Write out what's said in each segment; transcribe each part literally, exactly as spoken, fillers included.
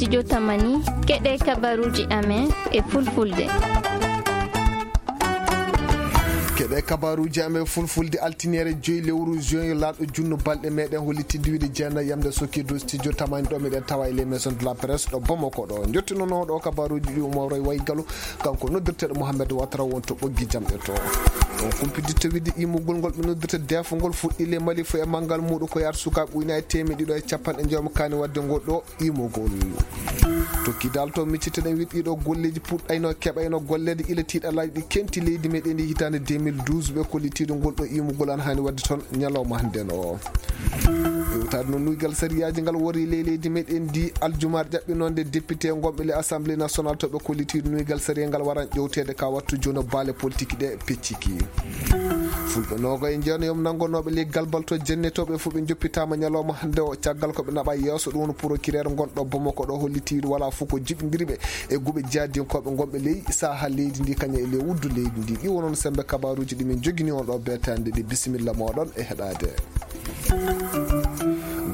Jotamani, keɗe kabaruuji amen e fulfulde. Keɗe kabaruuji amen fulfulde, altiniere joyi lewru juin, laaɗo junno balɗe meɗen hollitinde wiide jeenayi yamde sokki dow studio tamani ɗo meɗen tawa e les maisons de la presse ɗo Bamako ɗo. Njottinono ɗo kabaruuji ɗi Umar Roy Waygalo, kanko noddirteeɗo Mohamed Ouattara won to ɓoggi jamɗe to. On kumpiditta wiide imugol ngol ɓe noddirta defo ngol fuɗɗi le Mali fo e manngal muuɗum ko yaata sukaaɓe ujunaaji teemeɗe ɗiɗo e capanɗe njoy mo kaani waɗde ngol ɗo imugol. To Kidal to miccitoɗen wiide ɗiɗo golleeji puɗɗayno keɓayno golleede ila tiiɗalaaji ɗi kenti leydi meɗen ndi hitaande deux mille douze ɓe kollitiiɗo ngol ɗo imugol ana haani waɗde toon ñalawma hannde no. Ƴewtaade no nuygal sariyaaji ngal wori ley leydi meɗen ndi aljumaaɗe ƴaɓɓinoonde député ngonɓe le Assemblée nationale to ɓe kollitiiɗo nuygal sariya ngal waran ƴewteede ka wattu jono baale politique ɗe pecciki. Fulɓe noogo e jeeno yom nanngonooɓe leggal bal to jennetooɓe fof ɓe njoppitaama ñalawma hannde o caggal ko ɓe naɓa yeeso ɗum woni procureur ngonɗo Bamako ɗo hollitiiɗo wala fof ko jiɓindiri ɓe e guɓe jihadinkooɓe ngonɓe ley saha leydi ndi kañum e ley wuddu leydi ndi. Ɗi wonon sembe kabaruuji ɗi min jogini on ɗo beetande ɗi. Bisimilla moɗon e heɗaade.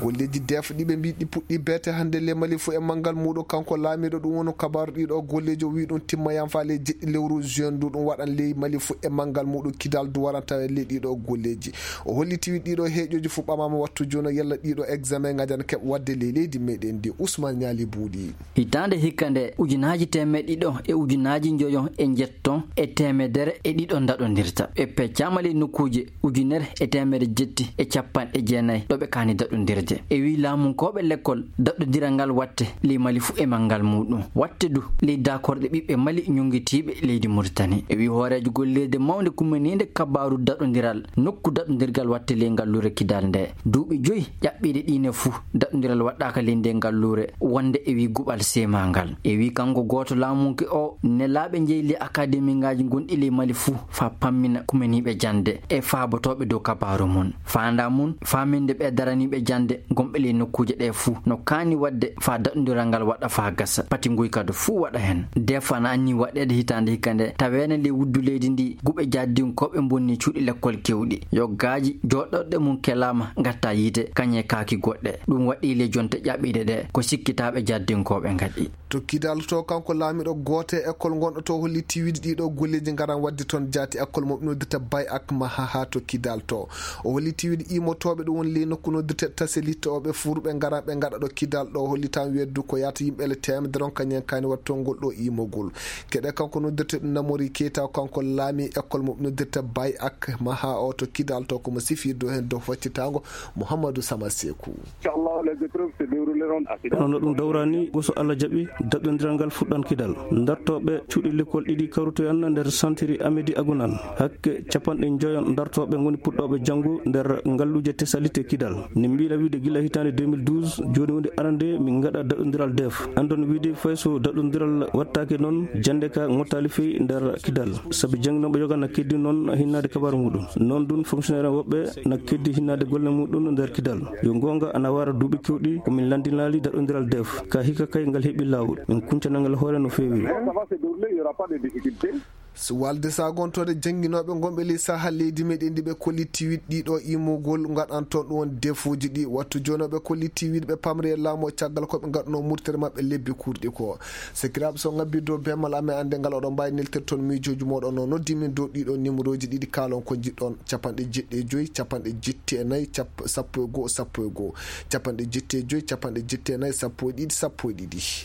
Golleeji def ɗi ɓe mbi ɗi puɗɗi beete hannde le Mali fo e manngal muuɗum kanko laamiiɗo ɗum woni kabaru ɗiɗo golleeji o wi ɗum timma yam faale jeɗɗi lewru juin ndu ɗum waɗan ley Mali fo e manngal muuɗum Kidal du waran tawa ley ɗiɗo golleeji. O holliti wi ɗiɗo heeƴoji fo ɓamama wattu jono yalla ɗiɗo examen ngajan keɓ waɗde ley leydi meɗen ndi. Ousmane Ñaali Buuɗi. Hitaande hikka nde ujunaaji teemeɗe ɗiɗo e ujunaaji njoyo e njetto e teemedere e ɗiɗo daɗondirta. Ɓe peccaama ley nokkuuje ujunere e teemedere jetti e capanɗe jeenayi ɗo ɓe kaani daɗondirde. E wi laamunkooɓe lekkol daɗondiral ngal watte ley Mali fo e manngal muuɗum. Watte du ley daakorɗe ɓiɓɓe Mali ñunngitiiɓe leydi Muritani. E wi hooreejo golleede mawnde kumaniinde kabaaru daɗondiral nokku daɗondirgal watte ley ngalluure Kidal nde. Duuɓi joyi ƴaɓɓiiɗe ɗiine fuu daɗondiral waɗɗaaka ley nde ngalluure wonde e wi guɓal seemangal. E wi kanko gooto laamunke o nelaaɓe njeyli akademingaaji gonɗi ley Mali fuu faa pammina kumaniiɓe jannde e faabotooɓe dow kabaaru mum. Faandaa mum faaminde ɓe daraniiɓe jannde gonɓe ley nokkuuje ɗe fuu no kaani waɗde faa daɗondiral ngal waɗa faa gasa. Pati nguyka du fuu waɗa heen. Defa na anni waɗeede hitaande hikka nde taweene ley wuddu leydi ndi guɓe jaddinkooɓe mbonni cuuɗi lekkol kewɗi. Yoggaaji jooɗorɗe mum kelaama ngatta yiite kañe kaaki goɗɗe. Ɗum waɗi le jonte ƴaɓɓiiɗe ɗe ko sikkitaaɓe jaddinkooɓe ngaɗi. To Kidal to kanko laamiɗo goote école ngonɗo to holli tiwiɗi ɗiɗo golleeji ngaran waɗde toon jaati école mo ɓe noddirta Bay ak Maha haa to Kidal to. O holli tiwiɗi imotooɓe ɗum woni ley nokku noddirte Taselit o ɓe fuuruɓe ngaran ɓe ngaɗa ɗo Kidal ɗo holli tan weddu ko yaata yimɓe ele teemedere on kañen kaani waɗtongol ɗo imogol. Keɗe kanko noddirte ɗum Namori Keita kanko laami école mo ɓe noddirta Bay ak Maha o to Kidal to komo sifirde heen dow faccitaango Mouhamadou Sama Sekou. Inchallah, les épreuves se dérouleront à Kidal. Hono ɗum dawrani, go so Allah jaɓi, daɗɗondiral ngal fuɗɗan Kidal. Dartooɓe cuuɗi lekkol ɗiɗi kawrutoyan nder santiri Amedi Agunan. Hakke capanɗe njoyon dartooɓe ngoni puɗɗooɓe janngo nder ngalluuje Tesalite Kidal. Ne mbiila wiide gila hitaande deux mille douze, jooni woni arande min ngaɗa daɗɗondiral def. Andon wiide fay so daɗɗondiral wattaake noon, jannde ka ngottaali fey nder Kidal. Sabi jannginooɓe yoga na keddi noon hinnaade kabaaru muɗum. Noon ɗum fonctionnaire woɓɓe na keddi hinnaade golle muɗum nder Kidal. Yo goonga ana wara duuɓi kewɗi ko min lanndinaali daɗɗondiral def. Ka hikka kay ngal heɓi laawol. Min kuncana ngal hoore no feewi. Ça va se dérouler, il y aura pas de difficulté. So walde sagontoode jannginooɓe ngonɓe ley saha leydi meɗen ndi ɓe kolli tiwiɗ ɗiɗo imogol ngaɗan toon ɗum won defuuji ɗi. Wattu jooni o ɓe kolli tiwiɗ ɓe pamri e laamu o caggal ko ɓe ngaɗuno murtere maɓɓe lebbi kurɗi ko. Sekiraaɓe so ngabbi dow bemal amen annde ngal oɗon mbaawi neltirde toon miijooji mooɗon no noddi min dow ɗiɗo numerooji ɗiɗi kaalon ko njiɗɗon capanɗe jeɗɗi e joyi, capanɗe jetti e nayi, cap-, sappo e goo, sappo e goo, capanɗe jetti e joyi, capanɗe jetti e nayi, sappo e ɗiɗi, sappo e ɗiɗi.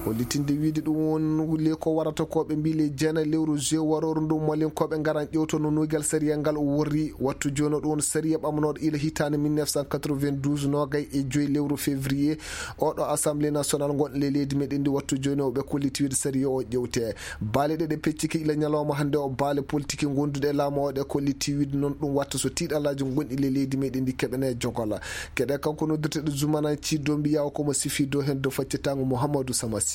Hollitinde wiide ɗum woni le ko warata ko ɓe mbi le jeenayi lewru juin warooru ndu malinkooɓe ngaran ƴewtono nuygal sariya ngal worri wattu jooni o ɗum woni sariya ɓamnooɗo ila hitaande mille neuf cent quatre-vingt-douze noogay e joyi lewru février oɗo assemblée nationale ngonɗo le leydi meɗen ndi wattu jooni o ɓe kolliti wiide sariya o ƴewte baale ɗe ɗe pecciki ila ñalawma hannde o baale politique gonduɗe e laamu o ɗe kolliti wiide noon ɗum watta so tiiɗalaaji gonɗi le leydi meɗen ndi keɓene jogola. Keɗe kanko noddirteɗo Zumana Ciddo mbiya o komo sifi dow heen dow faccitango Mouhamadou Samasi.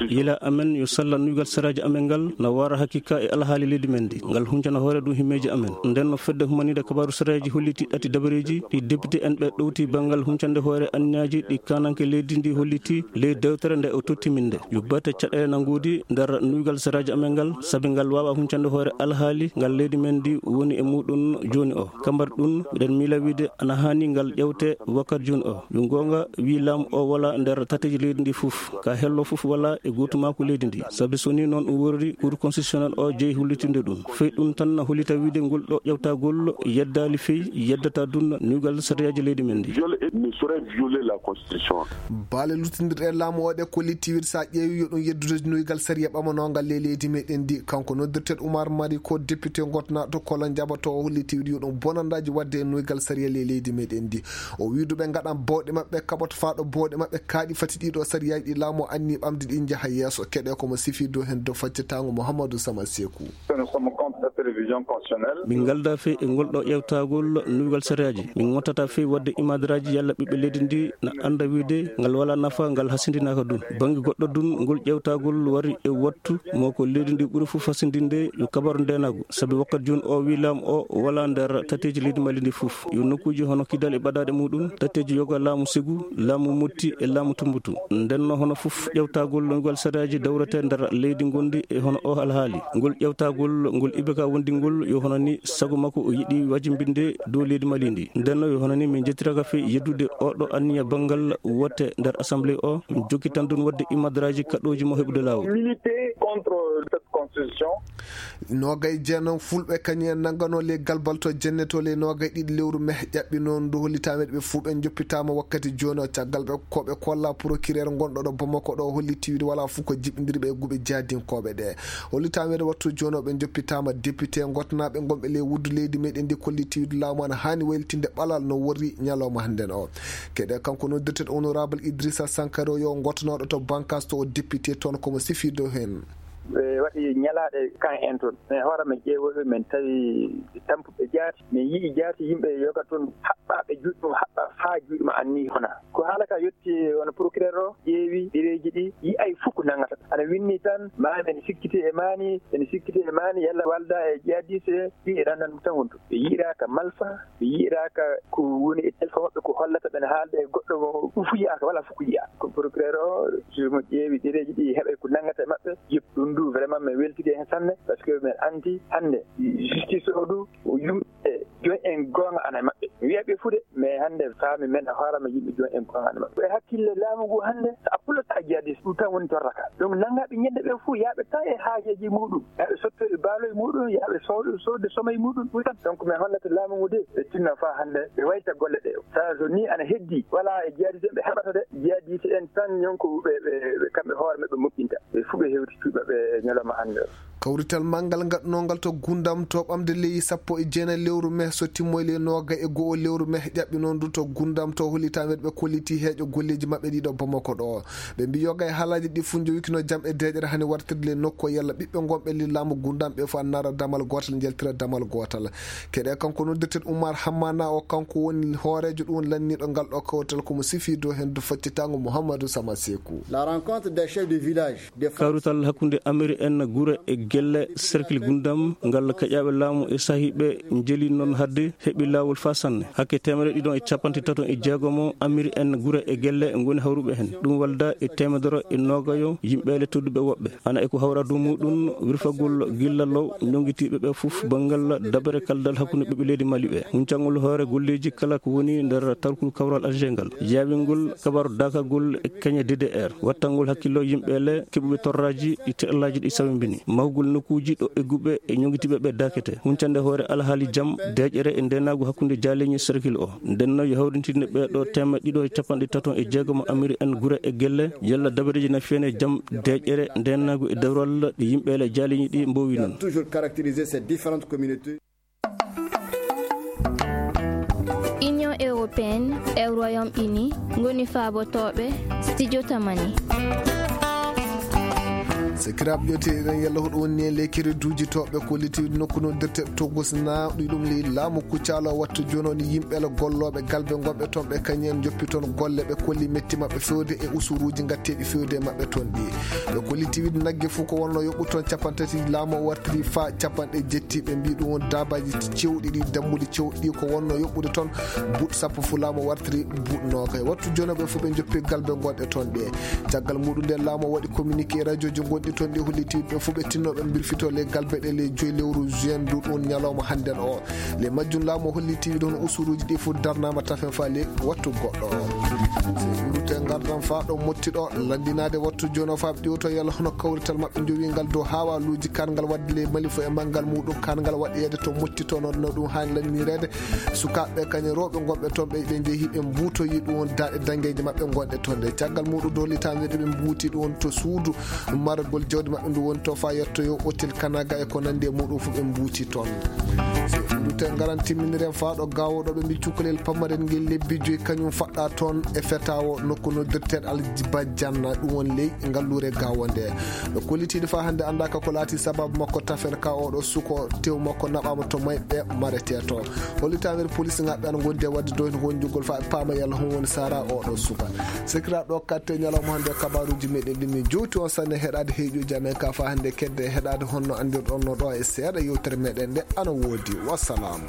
Yila amen yo salla nuygal sariyaaji amen ngal na wara hakika e alhaali leydi men ndi, ngal huncana hoore ɗum himmeeji amen. Nden no fedde humaniide kabaaru sariyaaji holliti ɗati dabareeji ɗi député en ɓe ɗowti banngal huncande hoore anniyaaji ɗi kananke leydi ndi holliti ley dewtere nde o totti min nde. Yo bate caɗeele na ngoodi nder nuygal sariyaaji amen ngal, sabi ngal waawa huncande hoore alhaali ngal leydi men ndi woni e muɗum jooni o. Kambar ɗum, miɗen miila wiide ana haani ngal ƴewte wakkati jooni o. Yo goonga, wi laamu o wala nder tateeji leydi ndi fof. Ka hello fof wala e gootumaaku leydi ndi. Sabi so ni noon ɗum worri, Cour constitutionnel o jeyi hollitinde ɗum. Fey ɗum tan na hollita wiide ngol ɗo ƴewtagol yeddaali fey, yeddata ɗum nuygal sariyaaji leydi men ndi. Viol ne saurait violer la constitution. Baale luttindirɗe e laamu o ɗe kolliti wiide so a ƴeewi yo ɗum yeddude nuygal sariya ɓamanongal ley leydi meɗen ndi. Kanko noddirteeɗo Oumar Mari ko député gotnaaɗo to Kolo Njabato o holliti wiide yo ɗum bonandaaji waɗde e nuygal sariya ley leydi meɗen ndi. O wi duɓe ngaɗan bawɗe maɓɓe kaɓoto faa ɗo bawɗe maɓɓe kaaɗi fati ɗiɗo sariyaaji ɗi laamu anni ɓamde ɗi njaha yeeso. Keɗe ko mo sifi dow heen dow faccitaango Mouhamadou Sama Sekou. Min ngalda fey e ngol ɗo ƴewtagol nuygal sariyaaji. Min ngottata fey waɗde imadraaji yalla ɓiɓɓe leydi ndi na annda wiide ngal wala nafa, ngal hasindinaka dun. Bannge goɗɗo dun ngol ƴewtagol wari e wattu mo ko leydi ndi ɓuri fof hasindinde yo kabaru ndenagu. Sabi wakkati jooni o wi laamu o wala nder tateeji leydi Mali ndi fof. Yo nokkuuji hono Kidal e ɓadaade muɗum, tateeji yoga laamu Segu, laamu Motti e laamu Tumbutu. Nden no hono fof ƴewtagol ngal sariyaaji dawrete nder leydi ngondi e hono o alhaali. Ngol ƴewtagol ngol Ibeka wondi ngol yo hono ni sago makko o yiɗi wajimbinde dow leydi Mali ndi. Nden no yo hono ni min jettiraka fey yeddude oɗo anniya banngal wote nder assemblée o, min jokki tan dun waɗde imadraaji kaɗooji mo heɓude laawol. Militer contre cette constitution. Noogay jeenam fulɓe kañum en nanngano ley galbal to jenne to ley noogay ɗiɗi lewru meh ƴaɓɓi noon ndu hollitaama ɓe fuu ɓe njoppitaama wakkati jooni o caggal ɓe ko ɓe kolla procureur ngonɗo ɗo Bamako ɗo holliti wiide wala fuu ko jiɓindiri ɓe e guɓe jahdinkooɓe ɗe. Hollitaama ɓe wattu jooni o ɓe njoppitaama député gotnaaɓe ngonɓe ley wuddu leydi meɗen ndi kolliti wiide laamu ana haani waylitinde ɓalal no worri ñalawma hannden o. Keɗe kanko noddirteeɗo honorable Idrissa Sankaro yo ngotonooɗo to Bankas to o député toon komo sifi dow heen. Ɓe waɗi ñalaaɗe kan en toon. Min hoore men ƴeewoɓe, min tawi tampuɓe jaati. Min yi'i jaati yimɓe yoga toon haɓɓaaɓe juuɗe mum, haɓɓa faa juuɗe ma anni hona. Ko haala ka yetti wona procureur o, ƴeewi ɗereeji ɗi, yi'ay fof ko nanngata. Ana winni tan, ma ene sikkiti e maani, ene sikkiti e maani, yalla walda e jihadiste, ɗi e ɗan tan wontu. Ɓe yi'iraaka malfa, ɓe yi'iraaka ko woni e téléphone maɓɓe ko hollata ɓene haalda e goɗɗo mo ɗum fof yi'aaka, wala fof ko yi'aa. Ko procureur o, so mo ƴeewi ɗereeji ɗi, heɓay ko nanngata e maɓɓe, yeɓ ɗum du, vraiment, mi weltike heen sanne, parce que min anndi hannde, justice o du, o yumɓe jooni en goonga ana e maɓɓe. Mi wi'a ɓe fude, mais hannde faami men a hoorama yimɓe jooni en goonga ana e maɓɓe. Ko e hakkille laamu ngu hannde, so a pulata a jihadiste, ɗum tan woni torraka. Donc, nanngaaɓe ñande ɓe fof, yaaɓe tan e haajeeji muɗum. Yaaɓe sottoɗe baaloy muɗum, yaaɓe soodo, soodde somay muɗum, ɗum tan. Donc, min hollata laamu ngu de, ɓe tinna faa hannde, ɓe wayta golle ɗe. Sa so ni ana heddi, wala e jihadiste ɓe heɓata de, jihadiste en tan ñon ko ɓe, ɓe, ɓe kamɓe hoore maɓɓe moƴƴinta. Ɓe fof ɓe hewti cuuɗi maɓɓe e ñalawma hannde o. Kawrital manngal ngaɗnongal to Gundam to ɓamde lewru sappo e jeenayi lewru meh so timmoyi lewru noogay e go'o lewru meh ƴaɓɓi noon du to Gundam to hollitaama ɓe kolliti heeƴo golleeji maɓɓe ɗiɗo Bamako ɗo. Ɓe mbi yoga e haalaaji ɗi fof njowikino jam e deeƴere hani wartirde le nokku o yalla ɓiɓɓe ngonɓe le laamu Gundam ɓe fof annara damal gootal njeltira damal gootal. Keɗe kanko noddirten Oumar Hammana o, kanko woni hooreejo ɗum lanniiɗo ngal ɗo kawrital komo sifi dow heen du faccitaango Mouhamadou Sama Sekou. La rencontre des chefs de village. Kawrital hakkunde Amiri en Gure e Gelle cercle Gundam ngal kaƴaaɓe laamu e sahiiɓe njeli noon hadde heɓi laawol faa sanne. Hakke teemedere ɗiɗo e capanɗe tato e jeegomo Amiri en Gure e Gelle ngoni hawruɓe heen. Ɗum walda e teemedere e noogayo yimɓeele tedduɓe woɓɓe. Ana e ko hawra dow muɗum wirfagol gilla law ñonngitiiɓe ɓe fof banngal dabere kaldal hakkunde ɓiɓɓe leydi Mali ɓe. Huncangol hoore golleeji kala ko woni nder tarkul kawral Alger ngal. Yaawingol kabaru dakagol e keñe D D R. Wattangol hakkillo yimɓe le keɓuɓe torraaji ɗi teɗalaaji ɗi sawimbini. Mahugol nokkuuji ɗo egguɓe e ñoŋitiiɓe ɓe dakete. Huncande hoore alhaali jam, deeƴere e ndeenaagu hakkunde jaaleeñi cercle o. Nden no yo hawrintinde ɓee ɗo teemedde ɗiɗo e capanɗe tato e jeegomo Amiri en Gure e Gelle, yalla dabareeji na fiyane jam, deeƴere, ndeenaagu e dewral ɗi yimɓe le jaaleeñi ɗi mboowi noon. Toujours caractériser ces différentes communautés. Union européenne e Royaume-Uni ngoni faabotooɓe Studio Tamani. Sakiraaɓe ƴeewte eɗen yalla hoɗo woni e ley kereduuji to ɓe kolliti nokku noddirte to gosna ɗi ɗum ley laamu kuccaalo wattu jooni o ni yimɓe la gollooɓe galbe ngonɓe toon ɓe kañum en joppi toon golle ɓe kolli metti maɓɓe fewde e usuruuji ngatteeɗi fewde e maɓɓe toon ɗi. Ɓe kolliti wiide nagge fof ko wonno yoɓɓu toon capanɗe tati laamu o wartiri faa capanɗe jetti ɓe mbi ɗum won daabaaji cewɗi ɗi dammuɗi cewɗi ko wonno yoɓɓude toon buuɗ sappo fof laamu o wartiri buuɗ noogay wattu jooni ɓe fof ɓe joppi galbe ngonɗe toon ɗe. Caggal muɗum nde laamu o waɗi communiqué e radiooji gonɗi toon ɗi holliti ɓe fof ɓe tinno ɓe mbilfito ley galbe ɗe ley joyi lewru juin ndu ɗum ñalawma hannden o. Ley majjum laamu o holliti ɗon usuruuji ɗi fof darnaama tafen faa ley wattu goɗɗo o. So iwrute ngardan faa ɗo motti ɗo lanndinaade wattu jooni o faa ɓe ƴiwto yalla hono kawrital maɓɓe jowi ngal dow haawaaluuji kaangal waɗde ley mali fof e manngal muɗum kaangal waɗeede to motti to no ɗum haani lanndinireede. Sukaaɓe kañe rewɓe ngonɓe toon ɓe ɓe njehi ɓe mbuutoyi ɗum won daaɗe dañgeeje maɓɓe ngonɗe toon ɗe caggal muɗum dollitaande ɗe ɓe mbuuti ɗum won to suudu maragol jawdi maɓɓe ndu woni to faa yettoyo otel kanaga e ko nanndi e muɗum fof ɓe mbuuti toon. Dute ngaran timminiren faa ɗo gawoɗo ɓe mbi cukkalel pammaren ngel lebbi joyi kañum faɗɗa toon e fetawo nokku noddirteɗo aljiba janna ɗum won ley ngalluure gawo nde. Ɓe kollitiiɗo faa hannde anndaaka ko laati sababu makko tafen ka oɗo suko tew makko naɓaama to mayɓe maretee to. Hollitaanir police ngaɓɓe ana ngondi e waɗde doyde wonjugol faa ɓe paama yalla hon woni sara oɗo suka. Sekira ɗo katte ñalawma hannde kabaruuji meɗen ɗin min jowti on sanne heɗaade heeƴuji amen ka faa hannde kedde heɗaade honno anndirɗon no ɗo e seeɗa yewtere meɗen nde ana woodi. Wassalam.